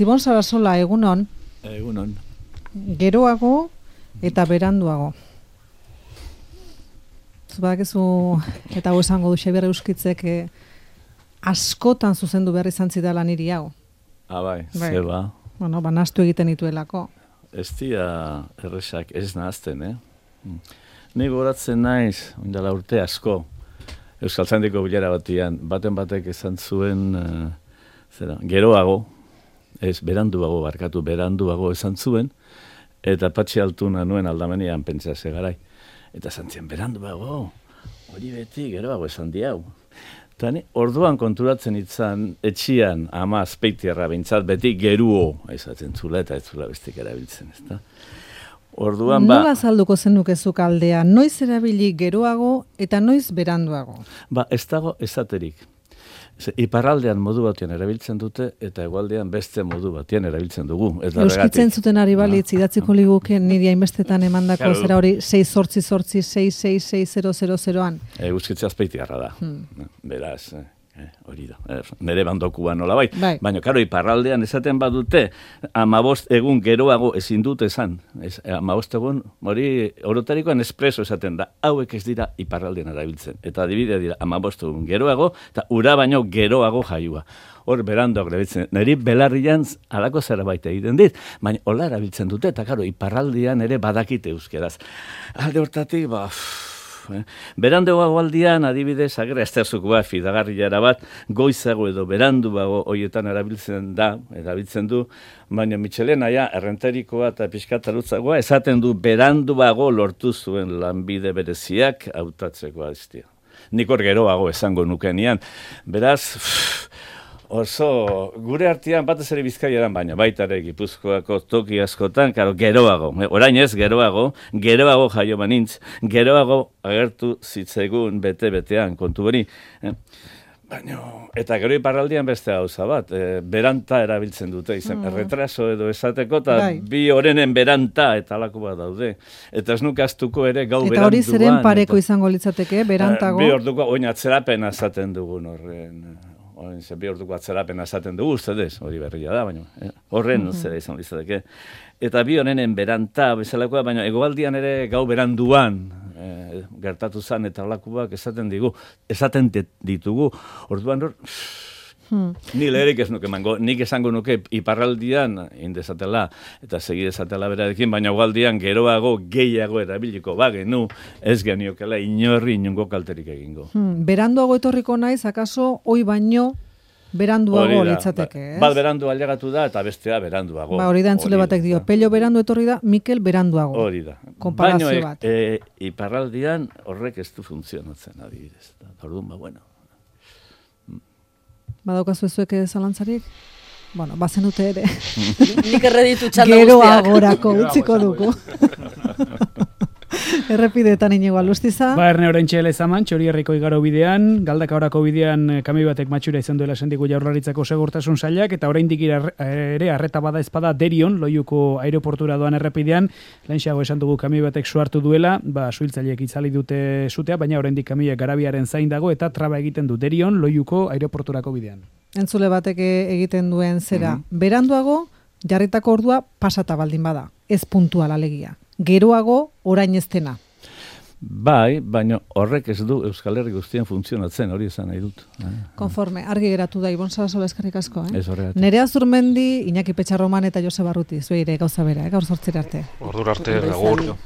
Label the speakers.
Speaker 1: Ibon Sarasola, egunon.
Speaker 2: Egunon.
Speaker 1: Geroago eta beranduago. Badakizu, eta hau esango du Xabier Euskitzek askotan zuzendu behar izan zidala niri hau.
Speaker 2: Bai, zeba.
Speaker 1: Bueno, nahastu egiten dituelako.
Speaker 2: Ez dira erresak ez nahazten, Ni goratzen naiz, ondala urte asko, Euskaltzaindiko bilera batian, baten batek esan zuen, geroago, beranduago esan zuen, eta Patxi Altuna nuen aldamenean pentsa garai. Eta zantzien, beranduago, hori beti geroago esan diau. Eta orduan konturatzen itzan, etxian, ama azpeitiarra bintzat, beti geruo, esaten zula eta ez zula bestik erabiltzen, ez da? Orduan
Speaker 1: nola azalduko zenukezuk aldea, noiz erabili geroago eta noiz beranduago?
Speaker 2: Ez dago esaterik. Iparraldean modu batean erabiltzen dute eta hegoaldean beste modu batean erabiltzen dugu.
Speaker 1: Euskitzen zuten ari balitz, idatziko liguke niri hainbestetan emandako zera hori 6-8-6-6-6-6-0-0-0an.
Speaker 2: Euskitzea azpeitiarra da. Beraz, hori da. Nere bandokuan nola bai. Baina, karo, iparraldean esaten badute, 15 egun geroago ezin dute esan. 15 egun, hori orotarikoan espreso esaten da. Hauek ez dira iparraldean erabiltzen. Eta adibidea dira 15 egun geroago, eta ura baino geroago jaiua. Hor berandoak erabiltzen. Neri belarrian alako zera baita egiten dit. Baina, hola erabiltzen dute, eta karo, iparraldean ere badakite euskeraz. Alde hortatik, beranduago aldian, adibidez, agera esterzukoa, fidagarriara bat, goizago edo beranduago hoietan erabiltzen du, baina Michelena errenterikoa eta pixkatarutzagoa, esaten du beranduago lortu zuen lanbide bereziak hautatzeko aztia. Nik hor geroago esango nukenian. Beraz, oso, gure artean batez ere Bizkaiaran, baina baita ere Gipuzkoako toki askotan, geroago, orain ez geroago jaio banintz, geroago agertu zitzaigun bete-betean, kontu hori. Eta gero iparraldian beste gauza bat, beranta erabiltzen dute, retraso edo esateko, eta bi horenen beranta eta alako bat daude. Eta ez nukaztuko ere gau beranduan.
Speaker 1: Eta hori zeren pareko izango litzateke, berantago?
Speaker 2: Bi orduko, oin atzerapena esaten dugun horren. Bi orduko atzerapena esaten dugu, ustedez, hori berria da, baina horren zera izan litzateke. Eta bi honenen beranta bezalakoa, baina egoaldian ere gau beranduan gertatu zan eta alakuak esaten ditugu. Orduan hor, ni leherik ez nuke mango, nik esango nuke iparraldian indezatela eta segidezatela berarekin, baina egoaldian geroago gehiago erabiliko bagenu, ez geniokela inongo kalterik egingo.
Speaker 1: Beranduago etorriko naiz, akaso, hoi baino beranduago litzateke, ez?
Speaker 2: Bat berandu ailegatu da eta bestea beranduago.
Speaker 1: Hori da entzule batek dio, Pello berandu etorri da, Mikel beranduago.
Speaker 2: Hori da.
Speaker 1: Konparazio bat.
Speaker 2: Iparraldian horrek ez du funtzionatzen adibidez. Orduan, bueno.
Speaker 1: Badaukazu ezuek zalantzarik? Bueno, bazenute ere.
Speaker 3: Nik erreditu txanda guztiak.
Speaker 1: Geroagorako utziko dugu. Errepideetan inigo alustiza.
Speaker 4: Erne orain txela ezaman, Txorierriko igaro bidean, Galdakaorako bidean kamioi batek matxura izan duela esandiku Jaurlaritzako segurtasun sailak, eta oraindik ere arreta bada ezpada Derion, Loiuko aireportura doan errepidean, lehenxeago esan dugu kamioi batek suhartu duela, suhiltzaileek itzali dute zutea, baina oraindik kamioiak garabiaren zain dago, eta traba egiten du Derion, Loiuko aireporturako bidean.
Speaker 1: Entzule batek egiten duen zera. Beranduago, jarritako ordua pasata baldin bada, ez puntual alegia. Geroago orain ez dena.
Speaker 2: Bai, baina horrek ez du Euskal Herri guztien funtzionatzen, hori esan nahi dut.
Speaker 1: Konforme, argi geratu da, Ibon Sarasola eskerrik asko.
Speaker 2: Ez horregatik.
Speaker 1: Nerea Zurmendi, Iñaki Petxarroman eta Jose Barruti, zueire gauza bera, gaur 8 arte.
Speaker 5: Ordura arte, agur.